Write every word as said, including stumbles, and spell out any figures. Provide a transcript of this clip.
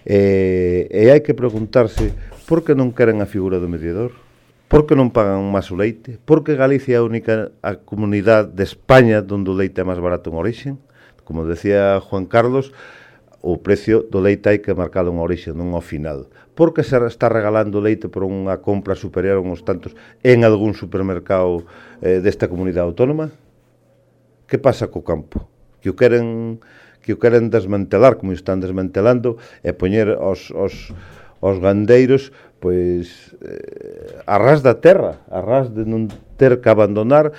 E, e hai que preguntarse por que non queren a figura do mediador, por que non pagan máis o leite, por que Galicia é a única a comunidade de España onde o leite é máis barato en origen. Como decía Juan Carlos, o precio do leite hai que marcalo en origen, non ao final. Por que se está regalando leite por unha compra superior a uns tantos en algún supermercado eh, desta comunidade autónoma? Que pasa co campo? Que o queren que o queren desmantelar, como o están desmantelando, e poñer os, os, os gandeiros pois eh, a ras da terra, a ras de non ter que abandonar